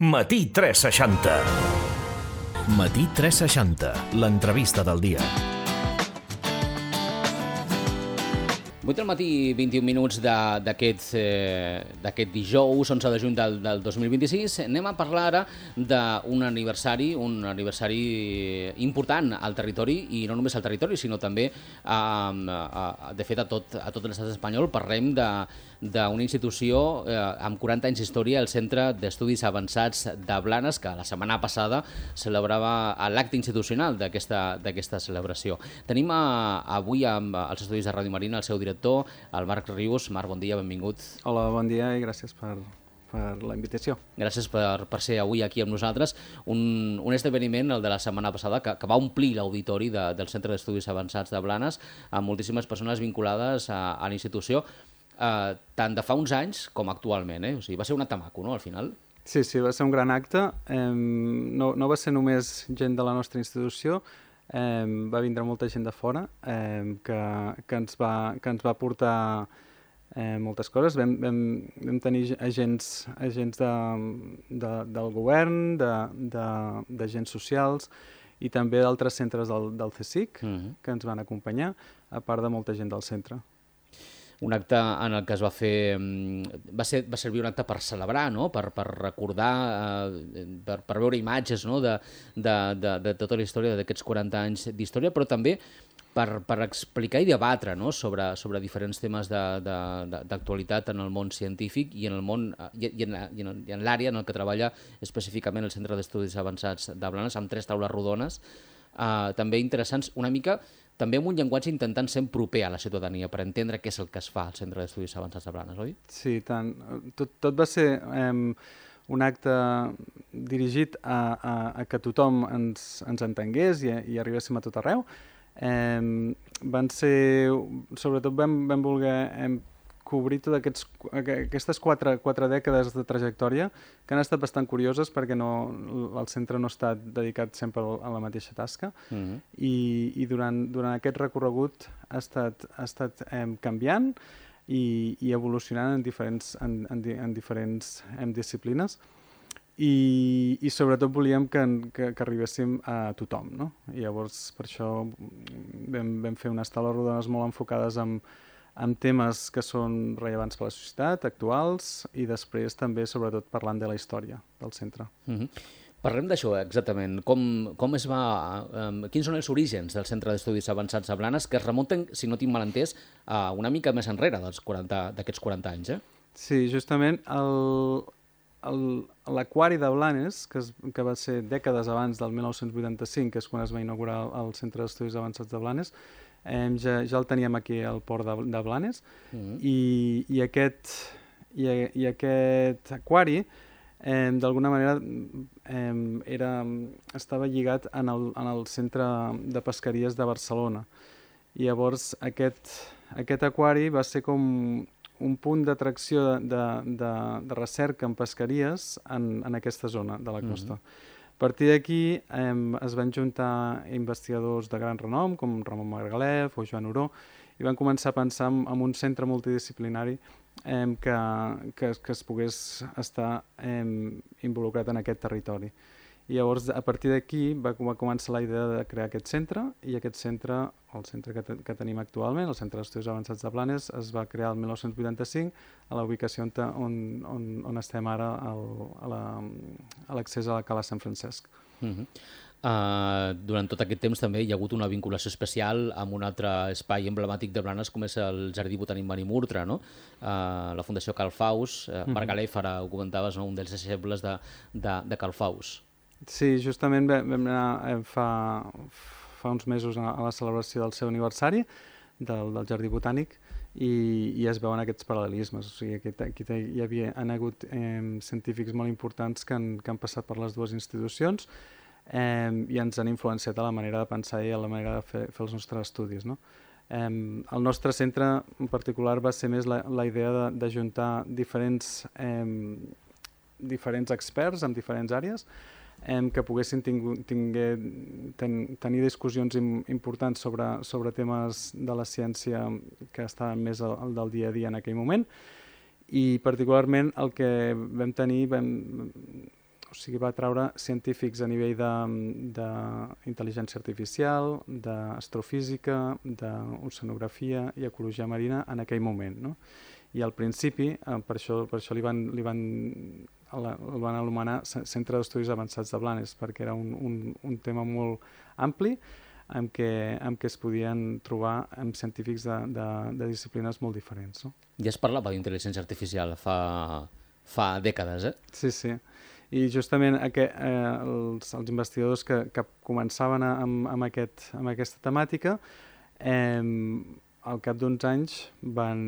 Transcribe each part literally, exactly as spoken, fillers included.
Matí tres seixanta. Matí tres seixanta, l'entrevista del dia. vuit del matí, vint-i-un minuts de- d'aquest eh, d'aquest dijous, onze de juny del, del dos mil vint-i-sis. Anem a parlar ara d'un aniversari, un aniversari important al territori, i no només al territori, sinó també, a, a, de fet, a tot, a tot l'estat espanyol. Parlem de d'una institució eh, amb quaranta anys d'història, el Centre d'Estudis Avançats de Blanes, que la setmana passada celebrava l'acte institucional d'aquesta d'aquesta celebració. Tenim a, avui amb els estudis de Ràdio Marina el seu director, el Marc Rius. Marc, bon dia, benvingut. Hola, bon dia i gràcies per, per la invitació. Gràcies per, per ser avui aquí amb nosaltres. Un, un esdeveniment, el de la setmana passada, que, que va omplir l'auditori de, del Centre d'Estudis Avançats de Blanes, amb moltíssimes persones vinculades a, a la institució, eh, tant de fa uns anys com actualment. Eh? O sigui, va ser un acte maco, no?, al final. Sí, sí, va ser un gran acte. Eh, no, no va ser només gent de la nostra institució, eh, va vindre molta gent de fora eh, que, que, ens va, que ens va portar eh, moltes coses. Vam, vam, vam tenir agents, agents de, de, del govern, d'agents socials i també d'altres centres del, del C S I C Mhm. que ens van acompanyar, a part de molta gent del centre. Un acte en el que es va fer... mm, Va, ser, va servir un acte per celebrar, no?, per, per recordar, eh, per, per veure imatges, no?, de, de, de, de tota la història d'aquests quaranta anys d'història, però també per, per explicar i debatre, no?, sobre, sobre diferents temes de- de- de- d'actualitat en el món científic i en el món eh, i, i en, i en, i en l'àrea en el que treballa específicament el Centre d'Estudis Avançats de Blanes, amb tres taules rodones, eh, també interessants, una mica també amb un llenguatge intentant ser proper a la ciutadania per entendre què és el que es fa al Centre d'Estudis Avançats de Blanes, oi? Sí, tant. Tot, tot va ser eh, un acte dirigit a, a, a que tothom ens, ens entengués i, i arribéssim a tot arreu. Eh, van ser, sobretot vam, vam voler eh, cobrir totes aquests, aquestes quatre, quatre dècades de trajectòria que han estat bastant curioses perquè no, el centre no ha estat dedicat sempre a la mateixa tasca. Mhm. I, i durant, durant aquest recorregut ha estat, ha estat eh, canviant i, i evolucionant en diferents, en, en, di- en diferents em, disciplines i, i sobretot volíem que, que, que arribéssim a tothom, no? I llavors per això vam, vam fer unes taules rodones molt enfocades en, en temes que són rellevants per a la societat, actuals, i després també sobretot parlant de la història del centre. Mhm. Parlem d'això exactament. Com, com es va... Eh, quins són els orígens del Centre d'Estudis Avançats de Blanes, que es remunten, si no tinc mal entès, a una mica més enrere dels quaranta d'aquests quaranta anys, eh? Sí, justament el, el, l'aquari de Blanes, que, es, que va ser dècades abans del mil nou-cents vuitanta-cinc, que és quan es va inaugurar el, el Centre d'Estudis Avançats de Blanes, eh, ja, ja el teníem aquí al port de, de Blanes, Mhm. i, i, aquest, i, i aquest aquari eh, d'alguna manera eh, era, estava lligat en el, en el Centre de Pesqueries de Barcelona. I llavors aquest, aquest aquari va ser com un punt d'atracció de, de, de, de recerca en pesqueries en, en aquesta zona de la costa. A partir d'aquí eh, es van juntar investigadors de gran renom, com Ramon Margalef o Joan Oró, i van començar a pensar en, en un centre multidisciplinari eh, que, que, que es pogués estar eh, involucrat en aquest territori. I llavors, a partir d'aquí, va, va començar la idea de crear aquest centre, i aquest centre, el centre que, te, que tenim actualment, el Centre d'Estudis Avançats de Blanes, es va crear el mil nou-cents vuitanta-cinc a la ubicació on, te- on, on, on estem ara, al, a la- a l'accés a la Cala Sant Francesc. Mhm. Uh, durant tot aquest temps també hi ha hagut una vinculació especial amb un altre espai emblemàtic de Blanes, com és el Jardí Botànic Marimurtra, no? Uh, la Fundació Carl Faus, uh, Marc Galef, ara ho comentaves, no? Un dels deixebles de, de, de Carl Faus. Sí, justament va- vam anar eh, fa, fa uns mesos a, a la celebració del seu aniversari del, del Jardí Botànic i, i es veuen aquests paral·lelismes. O sigui, aquí, aquí te- hi havia, han hagut eh, científics molt importants que han, que han passat per les dues institucions eh, i ens han influenciat a la manera de pensar i a la manera de fer, fer els nostres estudis, no? Eh, el nostre centre en particular va ser més la, la idea de, de juntar diferents, eh, diferents experts en diferents àrees eh, que poguessin tingu, tinguer, ten, tenir discussions im, importants sobre, sobre temes de la ciència que estaven més al, al del dia a dia en aquell moment, i particularment el que vam tenir, vam, o sigui, va treure científics a nivell d'intel·ligència artificial, d'astrofísica, d'oceanografia i ecologia marina en aquell moment, no? I al principi, eh, per això, per això li van, li van, el van anomenar Centre d'Estudis Avançats de Blanes, perquè era un, un, un tema molt ampli en què, en què es podien trobar amb científics de, de, de disciplines molt diferents. No? Ja es parlava d'intel·ligència artificial fa, fa dècades, eh? Sí, sí. I justament aqu eh, els, els investigadors que, que començaven a, amb, amb, aquest, amb aquesta temàtica, eh, al cap d'uns anys van,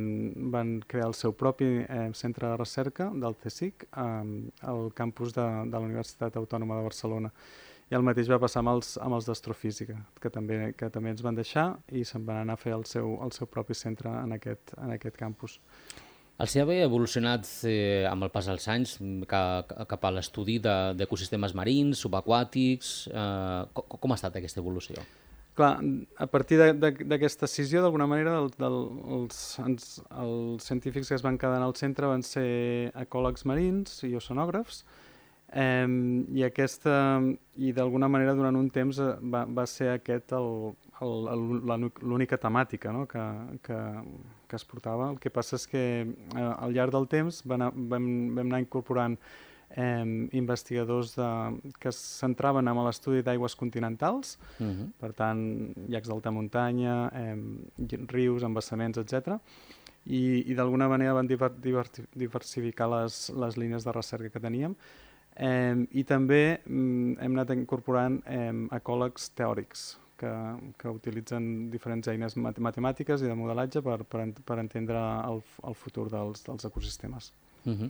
van crear el seu propi eh, centre de recerca del CSIC eh, al campus de, de la Universitat Autònoma de Barcelona. I el mateix va passar amb els, amb els d'astrofísica, que també, que també ens van deixar i se'n van anar a fer el seu, el seu propi centre en aquest, en aquest campus. El C A B ha evolucionat eh, amb el pas dels anys cap, cap a l'estudi d'ecosistemes de, marins, subaquàtics. Eh, com, com ha estat aquesta evolució? Clar, a partir d'aquesta decisió, d'alguna manera, el, del, els, els, els científics que es van quedar en el centre van ser ecòlegs marins i oceanògrafs, eh, i, aquesta, i d'alguna manera durant un temps va, va ser aquest l'única temàtica, no? que, que, que es portava. El que passa és que eh, al llarg del temps vam, vam, vam anar incorporant Eh, investigadors de, que es centraven en l'estudi d'aigües continentals, uh-huh. per tant, llacs d'alta muntanya, eh, rius, embassaments, etcètera. I, i d'alguna manera van diver, diver, diversificar les, les línies de recerca que teníem. Eh, I també mm, hem anat incorporant eh, ecòlegs teòrics, que, que utilitzen diferents eines matemàtiques i de modelatge per, per, per entendre el, el futur dels, dels ecosistemes. Uh -huh.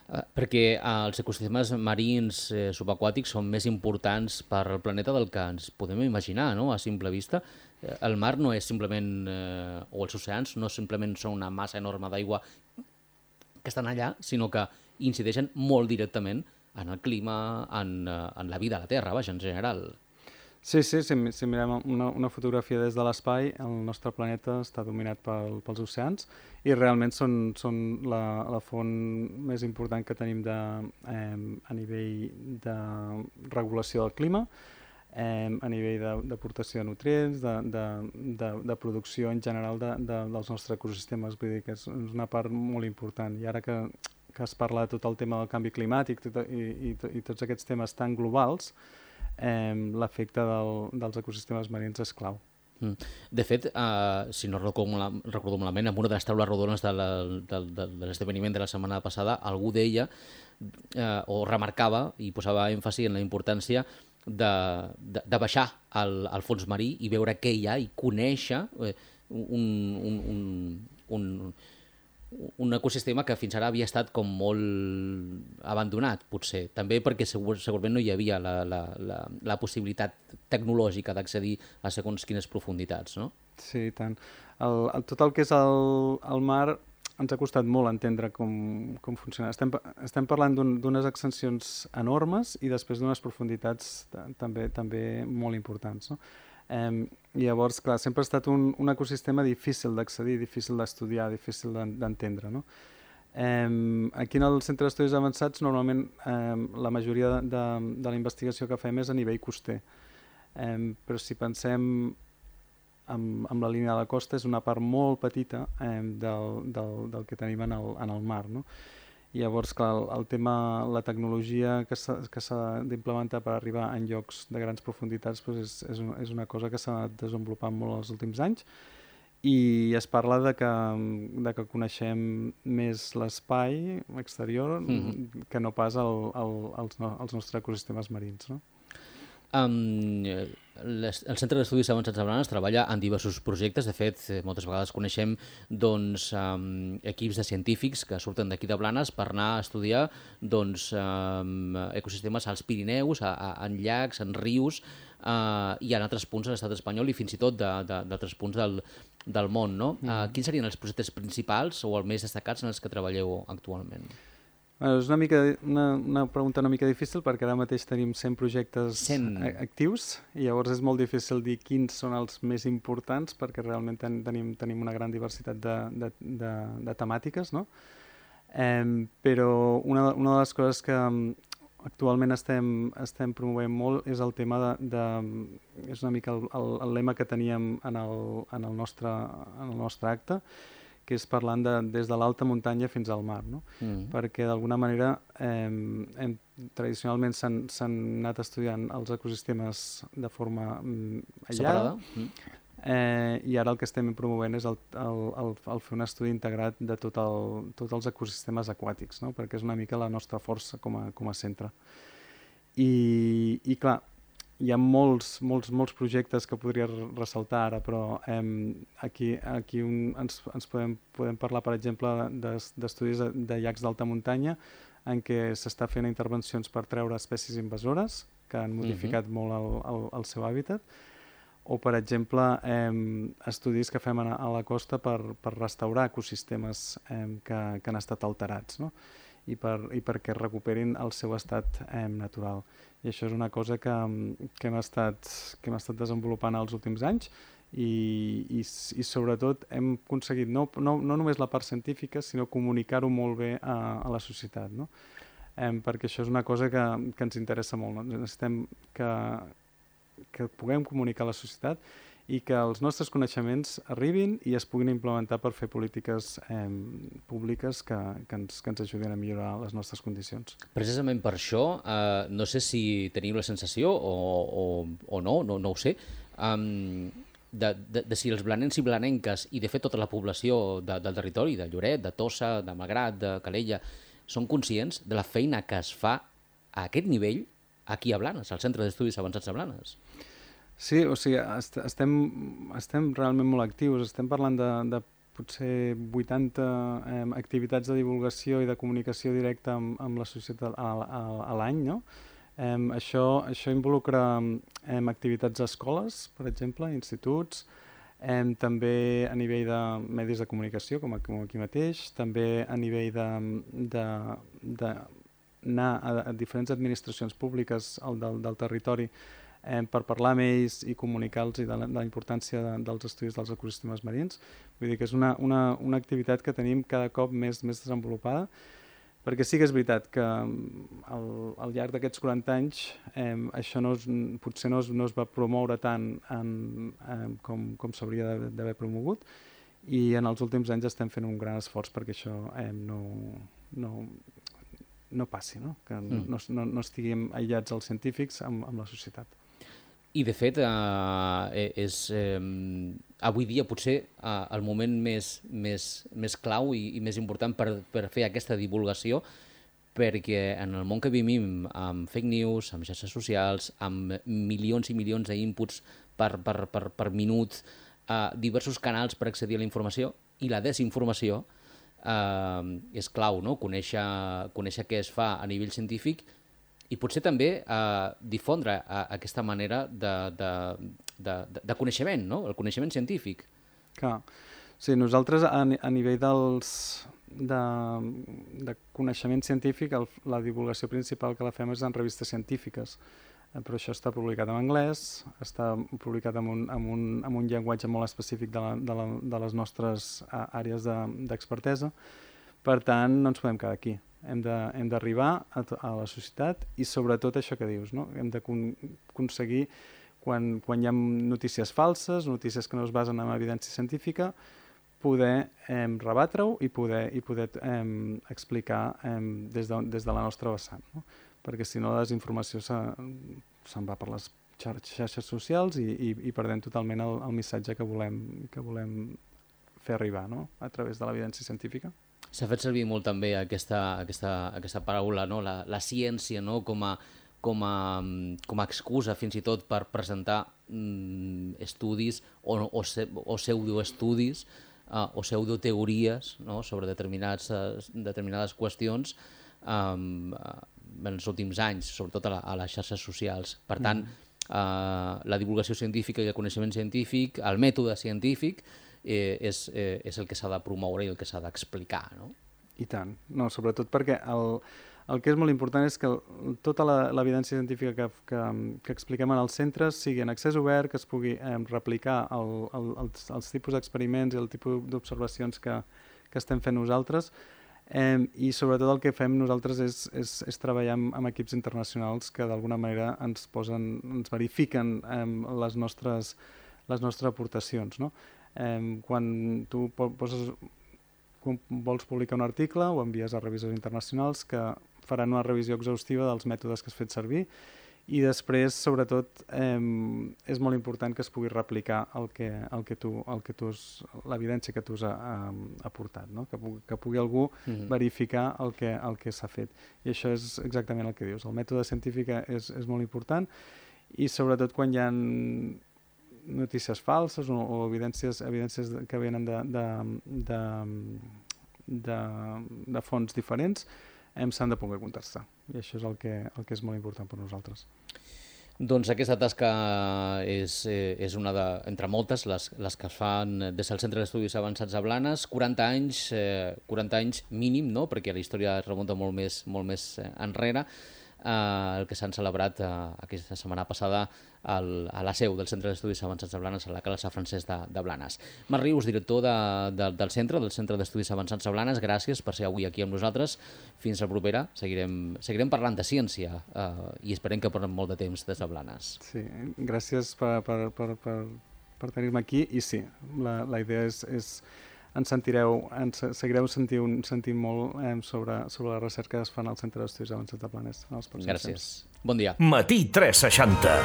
uh, perquè uh, els ecosistemes marins eh, subaquàtics són més importants per al planeta del que ens podem imaginar, no? A simple vista. Eh, el mar no és simplement, eh, o els oceans no simplement són una massa enorme d'aigua que estan allà, sinó que incideixen molt directament en el clima, en, uh, en la vida a la Terra, vaja, en general. Sí, sí, si, si mirem una, una fotografia des de l'espai, el nostre planeta està dominat pel, pels oceans i realment són, són la, la font més important que tenim de, eh, a nivell de regulació del clima, eh, a nivell d'aportació de, de nutrients, de, de, de, de producció en general de, de, dels nostres ecosistemes. Vull dir que és, és una part molt important. I ara que, que es parla de tot el tema del canvi climàtic tot, i, i, i tots aquests temes tan globals, Eh, l'efecte del, dels ecosistemes marins és clau. Mm. De fet, uh, si no recordo, recordo malament, en una de les taules rodones de l'esdeveniment de la setmana passada, algú deia uh, o remarcava i posava èmfasi en la importància de, de, de baixar al, al fons marí i veure què hi ha i conèixer eh, un, un, un, un un ecosistema que fins ara havia estat com molt abandonat, potser. També perquè segur, segurament no hi havia la, la, la, la possibilitat tecnològica d'accedir a segons quines profunditats, no? Sí, i tant. El, el, tot el que és el, el mar ens ha costat molt entendre com, com funciona. Estem, estem parlant d'unes extensions enormes i després d'unes profunditats també, també molt importants, no? Eh, I llavors, clar, sempre ha estat un, un ecosistema difícil d'accedir, difícil d'estudiar, difícil d'entendre, no? Eh, aquí en el Centre d'Estudis Avançats normalment eh, la majoria de, de, de la investigació que fem és a nivell coster, eh, però si pensem amb, amb la línia de la costa és una part molt petita eh, del, del, del que tenim en el, en el mar, no? I llavors, clar, el, el tema, la tecnologia que s'ha d'implementar per arribar en llocs de grans profunditats doncs és, és, una, és una cosa que s'ha desenvolupat molt els últims anys i es parla de que, de que coneixem més l'espai exterior mm-hmm. que no pas el, el, els, no, els nostres ecosistemes marins, no? Um, les, el Centre d'Estudis Avançats de Blanes treballa en diversos projectes. De fet, moltes vegades coneixem doncs, um, equips de científics que surten d'aquí de Blanes per anar a estudiar doncs, um, ecosistemes als Pirineus, a, a, en llacs, en rius uh, i en altres punts de l'estat espanyol i fins i tot d'altres punts del, del món, no? Mm. Uh, quins serien els projectes principals o els més destacats en els que treballeu actualment? Bueno, és una, mica, una, una pregunta una mica difícil perquè ara mateix tenim cent projectes cent actius i llavors és molt difícil dir quins són els més importants perquè realment ten, tenim, tenim una gran diversitat de, de, de, de temàtiques, no? Eh, però una, una de les coses que, actualment estem, estem promovent molt és el tema de... de és una mica el, el, el lema que teníem en el, en el, nostre, en el nostre acte, que és parlant de, des de l'alta muntanya fins al mar, no? Mm. Perquè d'alguna manera eh, hem, tradicionalment s'han anat estudiant els ecosistemes de forma mm, aïllada, mm. eh, i ara el que estem promovent és el, el, el, el fer un estudi integrat de tot el, tots els ecosistemes aquàtics, no? Perquè és una mica la nostra força com a, com a centre. I, i clar, hi ha molts, molts, molts projectes que podria ressaltar ara, però eh, aquí, aquí un, ens, ens podem, podem parlar, per exemple, d'estudis de, de llacs d'alta muntanya en què s'està fent intervencions per treure espècies invasores que han modificat uh-huh. molt el, el, el seu hàbitat, o, per exemple, eh, estudis que fem a, a la costa per, per restaurar ecosistemes eh, que, que han estat alterats, no? I, per, i perquè recuperin el seu estat eh, natural. I això és una cosa que, que, hem estat, que hem estat desenvolupant els últims anys i, i, i sobretot hem aconseguit no, no, no només la part científica, sinó comunicar-ho molt bé a, a la societat, no? Eh, perquè això és una cosa que, que ens interessa molt. No? Necessitem que, que puguem comunicar a la societat i que els nostres coneixements arribin i es puguin implementar per fer polítiques eh, públiques que, que, ens, que ens ajudin a millorar les nostres condicions. Precisament per això, eh, no sé si teniu la sensació o, o, o no, no, no ho sé, um, de, de, de si els blanencs i blanenques i de fet tota la població de, del territori, de Lloret, de Tossa, de Malgrat, de Calella, són conscients de la feina que es fa a aquest nivell aquí a Blanes, al Centre d'Estudis Avançats de Blanes. Sí, o sigui, est estem, estem realment molt actius. Estem parlant de, de potser vuitanta eh, activitats de divulgació i de comunicació directa amb, amb la societat a, a, a l'any, no? Eh, això, això involucra eh, activitats a escoles, per exemple, instituts, eh, també a nivell de medis de comunicació, com aquí mateix, també a nivell de, de, de anar a, a diferents administracions públiques al, del, del territori eh, per parlar amb ells i comunicar-los de, la, de la importància de, dels estudis dels ecosistemes marins. Vull dir que és una, una, una activitat que tenim cada cop més, més desenvolupada, perquè sí que és veritat que al, al llarg d'aquests quaranta anys eh, això no es, potser no es, no es va promoure tant en, eh, com, com s'hauria d'haver promogut, i en els últims anys estem fent un gran esforç perquè això eh, no, no, no passi, no? Que mm. no, no, no estiguem aïllats els científics amb, amb la societat. I, de fet, eh, és eh, avui dia potser eh, el moment més, més, més clau i, i més important per, per fer aquesta divulgació, perquè en el món que vivim, amb fake news, amb xarxes socials, amb milions i milions d'inputs per, per, per, per minut, eh, diversos canals per accedir a la informació i la desinformació, eh, és clau, no? Conèixer, conèixer què es fa a nivell científic i potser també eh, difondre eh, aquesta manera de, de, de, de coneixement, no? El coneixement científic. Clar. Sí, nosaltres a, a nivell dels, de, de coneixement científic, el, la divulgació principal que la fem és en revistes científiques, eh, però això està publicat en anglès, està publicat en un, en un, en un llenguatge molt específic de, la, de, la, de les nostres uh, àrees d'expertesa, de, per tant no ens podem quedar aquí. Hem d'arribar a, a la societat i sobretot això que dius, no? Hem d'aconseguir, quan, quan hi ha notícies falses, notícies que no es basen en evidència científica, poder eh, rebatre-ho i poder, i poder eh, explicar eh, des, de, des de la nostra vessant, no? Perquè si no la desinformació se'n va per les xarxes socials i, i, i perdem totalment el, el missatge que volem, que volem fer arribar, no? A través de l'evidència científica. S'ha fet servir molt també aquesta, aquesta, aquesta paraula, no? la, la ciència, no? com, a, com, a, com a excusa fins i tot per presentar mm, estudis o, o, o pseudoestudis uh, o pseudoteories, no? sobre determinats, uh, determinades qüestions um, en els últims anys, sobretot a, la, a les xarxes socials. Per tant, mm. uh, la divulgació científica i el coneixement científic, el mètode científic, Eh, és, eh, és el que s'ha de promoure i el que s'ha d'explicar, no? I tant. No, sobretot perquè el, el que és molt important és que el, tota l'evidència científica que, que, que expliquem en els centres sigui en accés obert, que es pugui eh, replicar el, el, els, els tipus d'experiments i el tipus d'observacions que, que estem fent nosaltres, Eh, I sobretot el que fem nosaltres és, és, és treballar amb, amb equips internacionals que d'alguna manera ens posen, ens verifiquen eh, les, nostres, les nostres aportacions. No? Eh, quan tu poses, quan vols publicar un article, ho envies a revisors internacionals que faran una revisió exhaustiva dels mètodes que has fet servir i després, sobretot, eh, és molt important que es pugui replicar el que, el que tu, el que tu has, l'evidència que tu has ha, aportat, no? que, pugui, que pugui algú mm-hmm. verificar el que, el que s'ha fet. I això és exactament el que dius. El mètode científic és, és molt important i sobretot quan hi ha notícies falses o, o evidències, evidències que venen de, de, de, de, de fonts diferents, hem s'han de poder contrastar. I això és el que, el que és molt important per nosaltres. Doncs aquesta tasca és, és una de, entre moltes, les, les que es fan des del Centre d'Estudis Avançats a Blanes. quaranta anys, eh, quaranta anys mínim, no? Perquè la història es remunta molt més, molt més enrere. Uh, el que s'han celebrat uh, aquesta setmana passada al, a la seu del Centre d'Estudis Avançats de Blanes, a la Cala Sant Francesc de, de Blanes. Marc Rius, director de, de, del centre, del Centre d'Estudis Avançats de Blanes, gràcies per ser avui aquí amb nosaltres. Fins la propera. Seguirem, seguirem parlant de ciència uh, i esperem que portem molt de temps des de Blanes. Sí, gràcies per, per, per, per, per tenir-me aquí i sí, la, la idea és... és ens sentireu, ens seguireu sentint, sentint molt eh, sobre, sobre la recerca que es fan al Centre d'Estudis Avançats de Blanes. Gràcies. Bon dia. Matí tres seixanta.